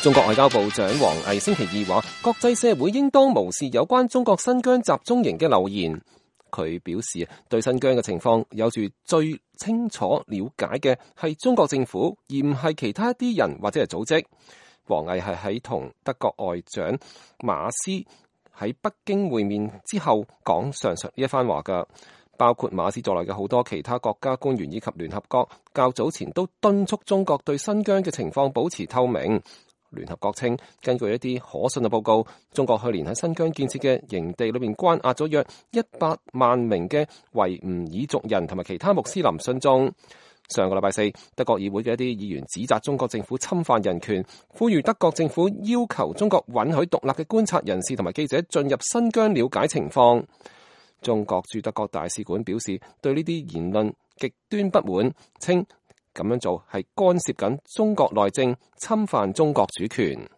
中國外交部長王毅星期二話，國際社會應當無視有關中國新疆集中營嘅流言。佢表示，對新疆嘅情況有住最清楚了解嘅係中國政府，而唔係其他一啲人或者係組織。王毅係喺同德國外長馬斯喺北京會面之後講上述呢一番話㗎。包括馬斯在內嘅好多其他國家官員以及聯合國較早前都敦促中國對新疆嘅情況保持透明。聯合國稱，根據一啲可信嘅報告，中國去年喺新疆建設嘅營地裏面關押咗約100萬名嘅維吾爾族人同埋其他穆斯林信眾。上個禮拜四，德國議會嘅一啲議員指責中國政府侵犯人權，呼籲德國政府要求中國允許獨立嘅觀察人士同埋記者進入新疆了解情況。中國駐德國大使館表示對呢啲言論極端不滿，稱咁樣做係干涉緊中國內政，侵犯中國主權。